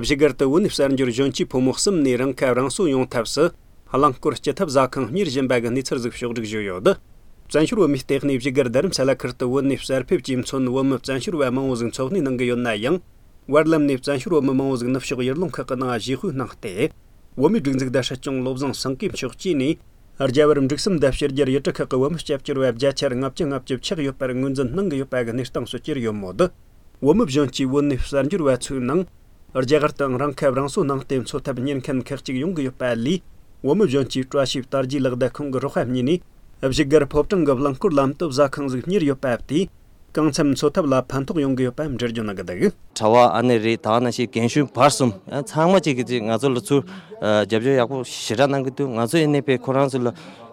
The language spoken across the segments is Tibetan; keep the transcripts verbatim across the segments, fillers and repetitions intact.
བཞུགས་སྒར་དུ་བོད་ནས་གསར་འབྱོར་གཞོན་སྐྱེས་ཕོ་མོ་གསུམ་ནས་རང་ཁ་རང་གསོ་ཡོང་ཐབས་སུ། རླངས་འཁོར་སྐྱེལ་ཐབས་ཟ་ཁང་གཉེར་བཞིན་པ་གི་གནས་ཚུལ་ཟིག་ཕྱོགས་བསྒྲིགས་བྱས་ཡོད། བཙན་བྱོལ་བོད་མིའི་ལྟེ་གནས་བཞུགས་སྒར་རྡ་རམ་ས་ལ་ཁུལ་དུ་བོད་ནས་གསར་ཕེབས་ཀྱིས་མཚོན་བོད་མི་བཙན་བྱོལ་བ་མང་བོ་ཟིག་འཚོ་གནས་གནང་གི་ཡོད་ན་ཡང་། བར་ལམ་ནས་བཙན་བྱོལ་བོད་མི་མང་བོ་ཟིག་ནུབ་ཕྱོགས་ཡུལ་ལུང་ཁག་གི་ནང་བཞེས་སྤོས་གནང་སྟེ། བོད་མིའི་སྒྲིག་འཛུགས་དང་སྲིད་སྐྱོང་བློ་བཟང་སེང་གེ་མཆོག་བཅས་ནས། རྒྱ་བལ་འབྲུག་གསུམ་དང་ཕྱི་རྒྱལ་ཡུལ་གྲུ་ཁག་གི་བོད་མི་སྐྱབས་བཅོལ་བ་བརྒྱ་ཆ་ལྔ་བཅུ་ང་བཅུ་ཆགས་ཡོད་པར་ངོས་འཛིན་གནང་གི་ཡོད་པ་གི་གནས་སྟངས་སུ་གྱུར་ཡོད་མོད། བོད་མི་གཞོན་སྐྱེས་བོད་ནས་གསར་འབྱོར་བ་ཚོའི་ནང་། རྒྱ་གར་དུའང་རང་ཁ་རང་གསོ་གནང་སྟེ་འཚོ་ཐབས་གཉེར་མཁན་ཁག་ཅིག་ཡོང་གི་ཡོད་པ་ལས། བོད་མི་གཞོན་སྐྱེས་བཀྲ་ཤིས་དར་རྒྱས་ལགས་དང་ཁོང་གི་རོགས་པ་གཉིས་ནས། བཞུགས་སྒར་ཕོ་བྲང་གི་རླངས་འཁོར་ལམ་དུ་ཟ་ཁང་ཟིག་གཉེར་ཡོད་པ་དེས། གང་འཚམ་འཚོ་ཐབས་ལ་ཕན་ཐོགས་ཡོང་གི་ཡོད་པ་འགྲེལ་བརྗོད་གནང་གི་འདུག། གྲྭ་བ་ཨ་ནེ་རེད། ད་ནང་བཞིན་རྒན་གཞོན་བར་གསུམ་ཚང་མ་གཅིག་གིས་གཅིག་ང་ཚོ་ལ་ཚུར་རྒྱབ་སྐྱོར་ཡག་པོ་ཞེ་དྲག་གནང་གི་འདུག། ང་ཚོ་ཡིན་ནའི་དཔེ་ཁོ་རང་ཚོ་ལ་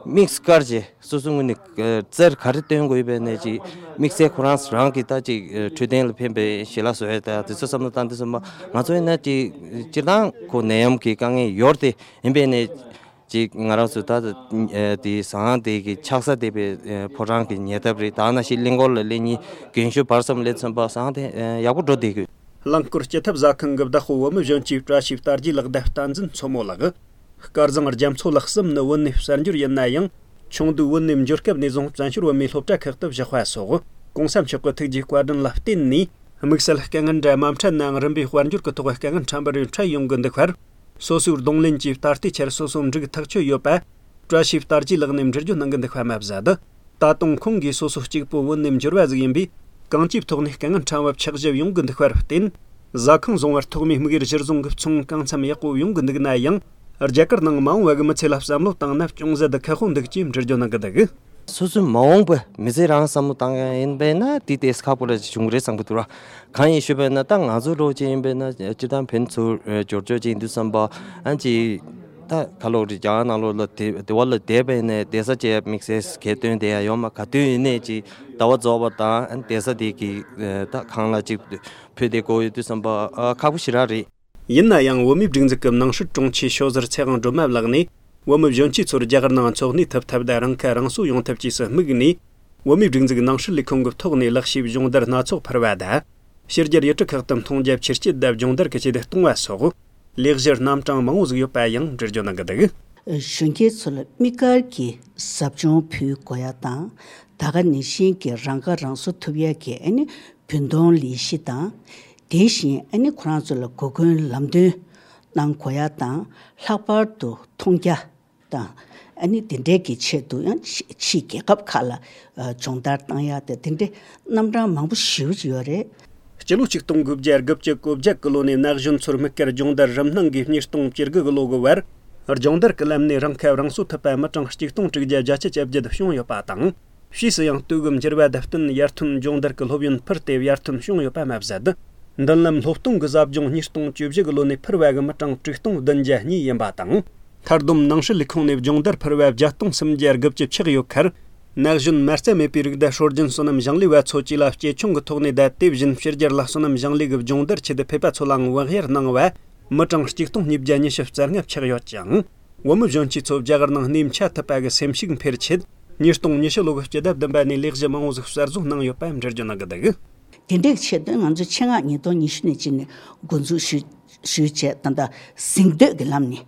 དམིགས་བཀར་བྱས། སོ་སོའི་ངོས་ནས་ཨ་རྩལ་ག་རེ་སྟོན་དགོས་ཡོད་པའི་ནས་ཅིག་དམིགས་བསལ་ཁོ་རང་རང་གི་ད་ཅིག་ཨ་འཕྲོད་བསྟེན་ལ་ཕན་པའི་ཞལ་ལག་བཟོ་ཡ་ད་དེ་ཚོ་བསམ་བློ་བཏང་དུས་ཙམ་པ་ང་ཚོ་ཡིན་ན་ཅིག་སྤྱིར་བཏང་ཁོ་ནད་ཡམས་ཀྱི་དཀའ་ངལ་ཡོད་དེ་ཡིན་པའི་ནས་ཅིག་ང་རང་ཚོ་ད་ཨ་དེ་ཟ་ཁང་དེ་གི་ཆགས་ས་དེ་པའི་ཨ་ཕོ་བྲང་གི་ཉེ་འདབས་རེད། ད་ནང་བཞིན་གླིང་སྐོར་ལ་སླེབས་མཁན་རྒན་གཞོན་བར་གསུམ་སླེབས་ཚུན་པ་ཟ་ཁང་དེ་ཨ་ཡག་པོ་འགྲོ་བསྡད་ཀྱི་ཡོད། རླངས་འཁོར་སྐྱེལ་ཐབས་ཟ་ཁང་གི་བདག་པོ་བོད་མི་གཞོན་སྐྱེས་བཀྲ་ཤིས་དར་རྒྱས་ལགས་དང་བསྟན་འཛིན་མཚོ་མོ་ལགས། སྐལ་བཟང་རྒྱ་མཚོ་ལགས་གསུམ་ནི་བོད་ནས་གསར་འབྱོར་ཡིན་ན་ཡང་། ཆུང་དུས་བོད་ནས་འབྱོར་སྐབས་ནས་བཟུང་བཙན་བྱོལ་བོད་མིའི་སློབ་གྲྭ་ཁག་ཏུ་བཞག་པ་སོགས་གོང་ས་མཆོག་གི་ཐུགས་རྗེའི་བཀའ་དྲིན་ལ་བརྟེན་ནས། དམིགས་བསལ་དཀའ་ངལ་འདྲ་མ་འཕྲད་ནའང་རིམ་པས་དཔལ་འབྱོར་གྱི་ཐོག་དཀའ་ངལ་ཕྲན་བུ་རེ་འཕྲད་ཡོང་གི་འདུག་པར། སོ་སོའི་གདོང་ལེན་གྱིས་ད་ལྟའི་ཆར་སོ་སོ་འགྲིག་ཐག་ཆོད་ཡོད་པ། བཀྲ་ཤིས་དར་རྒྱས་ལགས་ནས་འགྲེལ་བརྗོད་གནང་གི་འདུག་པ་མ་ཟད། ད་དུང་ཁོང་གིས་སོ་སོ་གཅིག་པུ་བོད་ནས་འབྱོར་བ་ཟིག་ཡིན་པས། གང་ཅིའི་ཐོག་ནས་དཀའ་ངལ་ཕྲན་བུ་ཆགས་བཞིན་ཡོང་གི་འདུག་པར་བརྟེན། ཟ་ཁང་བཟུང་བར་ཐོག་མའི་དམིགས་ཡུལ་གཞིར་བཟུང་གི་ཚོང་གང་འཚམ་ཡག་པོ་ཡོང་གི་འདུག་ན་ཡང་། རྒྱ་གར་ནང་མ་འོངས་པ་གི་མི་ཚེ་ལ་བསམ་བློ་བཏང་ན་ཅུང་ཟད་ཁག་པོ་འདུག་ཅེས་འགྲེལ་བརྗོད་གནང་གི་འདུག། སོ་སོའི་མ་འོངས་པའི་མི་ཚེ་རང་བསམ་བློ་བཏང་ཡ་ཡིན་པས་ན་དེ་ཏོག་ཙམ་ཁག་པོ་ར་ཅིག་བྱུང་གི་རེད་བསམ་གི་འདུག་ར། གང་ཡིན་ཞུས་པས་ན་ད་ང་ཚོ་ལོ་ཅིག་ཡིན་པས་ན་སྤྱིར་བཏང་ཕན་ཚུན་འབྱོར་ཕྱོགས་ཅིག་ཡིན་དུས་བསམ་པ་ཨ་ཅིག་ད་ཁ་ལོ་རི་རྒྱ་གར་ནང་ལོགས་ལ་དེ་དེ་བ་ལ་བསྡད་པས་ནས་བསྡད་ས་ཅིག་དམིགས་བསལ་གལ་སྟོན་དེ་ཡང་ཡོད་མ་ག་དུས་ཡིན་ནས་ཅིག་ཟླ་བ་རྫོགས་པ་དང་བསྡད་ས་དེ་གི་ད་གང་ལ་ཅིག་ཕུད་དེ་དགོས་ཡོད་དུས་བསམ་པ་ཨ་ཁག་པོ་ཞེ་དྲག་རེད། ཡིན་ན་ཡང་བོད་མིའི་སྒྲིག་འཛུགས་ཀྱི་ནང་སྲིད་དྲུང་ཆེ་ཤོ་ཟུར་ཚེ་དབང་སྒྲོལ་མ་ལགས་ནས་བོད་མི་གཞོན་སྐྱེས་ཚོར་རྒྱ་གར་ནང་འཚོ་གནས་ཐུབ་ཐབས་དང་རང་ཁ་རང་གསོ་ཡོང་ཐབས་བཅས་སུ་དམིགས་ནས། བོད་མིའི་སྒྲིག་འཛུགས་ནང་སྲིད་ལས་ཁུངས་ཀྱི་ཐོག་ནས་ལག་ཤེས་སྦྱོང་བརྡར་སྣ་ཚོགས་འཕར་བ་དང་། ཕྱི་རྒྱལ་ཡུལ་གྲུ་ཁག་ཏུ་མཐོང་རྒྱ་ཆེར་སྐྱེད་དང་སྦྱོང་བརྡར་གྱི་ཆེད་དུ་གཏོང་བ་སོགས། ལས་གཞི་རྣམ་གྲངས་མང་བོ་ཟིག་ཡོད་པ་ཡང་འགྲེལ་བརྗོད་གནང་གི་འདུག། གཞོན་སྐྱེས་ཚོ་ལ་དམིགས་བཀར་གྱིས་ཟབ་སྦྱོང་ཕུལ་དགོས་ཡ་དང་། ད་ག་ནང་བཞིན་གྱི་རང་ཁ་རང་གསོ་ཐུབ་ཡ་གི་ཨ་ནི་བུན་གཏོང་ལས་གཞི་དང་། དེ་བཞིན་ཨ་ནི་ཁོ་རང་ཚོ་ལ་གོ་སྐོན་ལམ་སྟོན་གནང་དགོས་ཡ་དང་། ལྷག་པར་དུ་མཐོང་རྒྱ་དང་། ཨ་ནི་དེ་འདྲའི་གི་ཆེད་དུ་ཡང་ཕྱི་ཕྱི་རྒྱལ་ཁབ་ཁག་ལ་ཨ་སྦྱོང་བརྡར་བཏང་ཡ་དེ་དེ་འདྲའི་རྣམ་གྲངས་མང་པོ་ཞེ་པོ་ཅིག་ཡོད་རེད། སྤྱི་ལོ་ཆིག་སྟོང་དགུ་བརྒྱ་དགུ་བཅུ་གོ་བརྒྱད་ཀྱི་ལོ་ནས་ན་གཞོན་ཚོར་དམིགས་བཀར་སྦྱོང་བརྡར་རིམ་སྣང་གིས་ཉིས་སྟོང་བཅུ་དགུ་གི་ལོ་གི་བར། སྦྱོང་བརྡར་གྱི་ལམ་ནས་རང་ཁ་རང་གསོ་ཐུབ་པ་མི་གྲངས་གཅིག་སྟོང་དྲུག་བརྒྱ་བརྒྱད་ཅུ་གྱ་བརྒྱད་བྱུང་ཡོད་པ་དང་། ཕྱིས་སུ་ཡང་དུས་བབ་འགྱུར་བ་དང་བསྟུན་ཡར་ཐོན་སྦྱོང་བརྡར་གྱི་སློབ་ཡོན་འཕུར་ཏེ་ཡར་ཐོན་བྱུང་ཡོད་པ་མ་ཟད། མདུན་ལམ་སློབ་སྟོང་གི་ཟབ་སྦྱོང་ཉིས་སྟོང་བཅུ་བཞི་གི་ལོ་ནས་འཕུར་བ་གི་མི་གྲངས་དྲུག་སྟོང་བདུན་བརྒྱ་གཉིས་ཡིན་པ་དང་། མཐར་བསྡོམས་ནང་སྲིད་ལས་ཁུངས་ནས་སྦྱོང་བརྡར་འཕུར་བ་བརྒྱད་སྟོང་སུམ་བརྒྱ་དགུ་བཅུ་ཆགས་ཡོད་ཁར། ན་གཞོན་མ་རྩ་མེད་པའི་རིགས་དང་སྲོལ་རྒྱུན་སོ་ནམ་ཞིང་ལས་པ་ཚོ་བཅས་ལ་གཅེས་སྐྱོང་གི་ཐོག་ནས་དང་། དེ་བཞིན་ཕྱི་རྒྱལ་ལ་སོ་ནམ་ཞིང་ལས་ཀྱི་སྦྱོང་བརྡར་ཆེད་དུ་ཕེབས་པ་ཚོ་ལའང་དབང་བསྒྱུར་གནང་བ། མི་གྲངས་གཅིག་སྟོང་ཉིས་བརྒྱ་ཉི་ཤུ་རྩ་ལྔ་ཆགས་ཡོད་ཅིང་། བོད་མི་གཞོན་སྐྱེས་ཚོ་རྒྱ་གར་ནང་གནས་མཆེད་ཐུབ་པ་གི་སེམས་ཤུགས་འཕེལ་ཆེད། ཉིས་སྟོང་ཉི་ཤུ་ལོ་གི་སྤྱི་ཟླ་བདུན་པ་ནས་ལས་གཞི་མང་བོ་ཟིག་གསར་བཟོ་གནང་ཡོད་པ་འགྲེལ་བརྗོད་གནང་གི་འདུག། དེ་འདྲའི་ཆེད་དུ་ང་ཚོས་ཆེད་མངགས་ཉིས་སྟོང་ཉི་ཤུ་ནས་བྱས་ནས་འགོ་འཛུགས་ཞུས་ཞུས་བྱས། ད་ལྟ་གཟེངས་བསྟོད་ཀྱི་ལམ་ནས་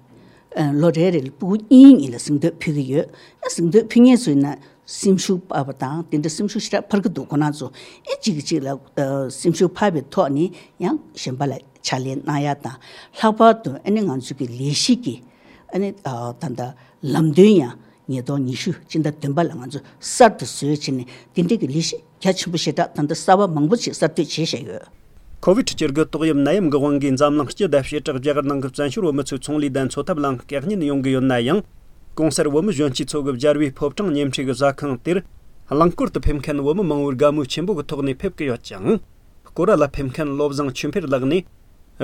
ཨ་ལོ་རེ་རེ་ལ་ཕྲུ་གུ་གཉིས་གཉིས་ལ་གཟེངས་བསྟོད་ཕུལ་གྱི་ཡོད། ཨ་གཟེངས་བསྟོད་ཕུལ་མཁན་ཚོའི་ནང་སེམས་ཤུགས་སྤར་བ་དང་། དེ་འདྲ་སེམས་ཤུགས་ཞེ་དྲག་འཕར་གྱི་འདུག། ཁོ་རང་ཚོ་ཨེ་གཅིག་གིས་གཅིག་ལ་ཨ་སེམས་ཤུགས་འཕར་བའི་ཐོག་ནས་ཡང་གཞན་པ་ལ་ཕྱག་ལས་གནང་ཡ་དང་། ལྷག་པར་དུ་ཨ་ནི་ང་ཚོ་གི་ལས་གཞི་གི་ཨ་ནི་ཨ་ད་ལྟ་ལམ་སྟོན་ཡང་ཉིས་སྟོང་ཉི་ཤུ་སྤྱི་ཟླ་བདུན་པ་ལ་ང་ཚོ་གསར་དུ་བཟོས་བྱས་ནས། དེ་འདྲའི་གི་ལས་གཞི་རྒྱ་ཆེན་པོ་ཞེ་དྲག་ད་ལྟ་གསར་པ་མང་པོ་ཞིག་གསར་གཏོད་བྱས་བཞག་ཡོད། ཁོ་ཝིད་བཅུ་དགུ་ཏོག་དབྱིབས་ནད་ཡམས་ཀྱི་དབང་གིས་འཛམ་གླིང་སྤྱི་དང་བྱེ་བྲག་རྒྱ་གར་ནང་གི་བཙན་བྱོལ་བོད་མི་ཚོའི་ཚོང་ལས་དང་འཚོ་ཐབས་ལའང་བཀག་ཉེན་ཡོང་གི་ཡོད་ན་ཡང་། གོང་གསལ་བོད་མི་གཞོན་སྐྱེས་ཚོ་གི་རྒྱལ་བའི་ཕོ་བྲང་ཉེ་འཁྲིས་ཀྱི་ཟ་ཁང་དེར། རླངས་འཁོར་དུ་ཕེབས་མཁན་བོད་མི་མང་བོའི་དགའ་མོས་ཆེན་པོ་གི་ཐོག་ནས་ཕེབས་ཀྱི་ཡོད་ཅིང་། སྐོར་ར་ལ་ཕེབས་མཁན་བློ་བཟང་ཆོས་འཕེལ་ལགས་ནས།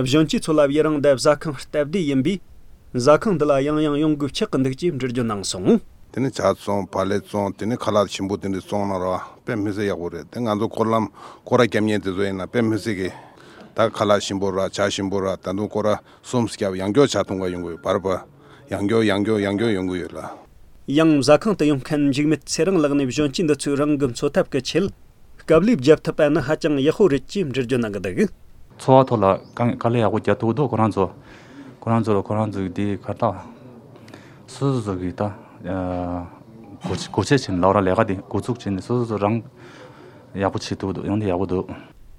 གཞོན་སྐྱེས་ཚོ་ལ་དབྱི་རང་དང་ཟ་ཁང་སྟབས་བདེ་ཡིན་པས། ཟ་ཁང་འདི་ལ་ཡང་ཡང་ཡོང་དགོས་ཆགས་ཀྱི་འདུག་ཅེས་འགྲེལ་བརྗོད་གནང་སོང་། དེ་ནས་ཇ་བཙོང་། བག་ལེབ་བཙོང་། དེ་ནས་ཁ་ལག་ཞིམ་པོ་དེ་འདྲ་བཙོང་ན་ར་དཔེ་མི་སྲིད་ཡག་པོ་རེད། དེ་ང་ཚོ་སྐོར་ལམ་སྐོར་ར་རྒྱབ་མཁན་དེ་ཚོ་ཡིན་ན་དཔེ་མི་སྲིད་གི། ད་ཁ་ལག་ཞིམ་པོ་ར་ཇ་ཞིམ་པོ་ར། ད་དུང་སྐོར་ར་གསུམ་བརྒྱབ་ཡང་སྐྱོར་ཇ་འཐུང་ག་ཡོང་གི་ཡོད། བར་བར་ཡང་སྐྱོར་ཡང་སྐྱོར་ཡང་སྐྱོར་ཡོང་གི་ཡོད་ལ། ཡང་ཟ་ཁང་དུ་ཡོང་མཁན་འཇིགས་མེད་ཚེ་རིང་ལགས་ནས་གཞོན་སྐྱེས་འདི་ཚོས་རང་གི་འཚོ་ཐབས་ཀྱི་ཆེད། དཀའ་ལས་བརྒྱབ་ཐུབ་པ་ནི་ཧ་ཅང་ཡག་པོ་རེད་ཅེས་འགྲེལ་བརྗོད་གནང་གི་འདུག། འཚོ་བ་ཐོག་ལ་དཀའ་དཀའ་ལས་ཡག་པོ་རྒྱག་ཐུབ་འདུག་ཁོ་རང་ཚོ། ཁོ་རང་ཚོ་ལ་ཁོ་རང་ཚོ་གི་དེ་ག་ད་སོ་སོ་སོ་གི་ད་སྒོ་སྒོ་ཕྱེ་ཕྱིན་ལབ་ར་ལས་ཀ་དེ་འགོ་ཚུགས་ཕྱིན་ནས་སོ་སོ་སོ་རང་ཡག་པོ་བྱེད་ཐུབ་འདུག་ཡང་དེ་ཡག་པོ་འདུག་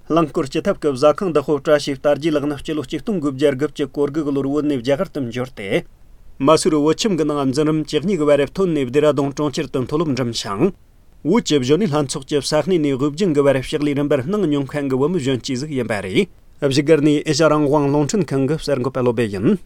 རླངས་འཁོར་སྤྱི་ཐབ་ཀྱི་བཟའ་ཁང་བདག་པོ་བཀྲ་ཤིས་རྟ་རྒྱས་ལགས་ནི་སྤྱི་ལོ་ཆིག་སྟོང་དགུ་བརྒྱ་དགུ་བཅུ་གོ་དགུ་གི་ལོར་བོད་ནས་རྒྱ་གར་དུ་འབྱོར་ཏེ། མ་སུར་བོད་ཁྱིམ་གྱི་ནང་འཛིན་རིམ་བཅུ་གཉིས་ཀྱི་བར་ཐོན་ནས་བདེ་ར་ལྡུང་གྲོང་ཁྱེར་དུ་མཐོ་སློབ་འགྲིམ་ཞིང་། བོད་ཀྱི་གཞོན་ནུ་ལྷན་ཚོགས་ཀྱི་ས་གནས་ནས་དབུས་རྒྱུན་གྱི་བར་ཕྱག་ལས་རིམ་པར་གནང་མྱོང་མཁན་གྱི་བུ་མོ་གཞོན་སྐྱེས་ཟིག་ཡིན་པ་རེད། བཞུགས་སྒར་ནས་ཨེ་ཤ་རང་དབང་རླུང་འཕྲིན་ཁང་གི་གསར་འགོད་པ་བློ་སྦེ་ཡིན།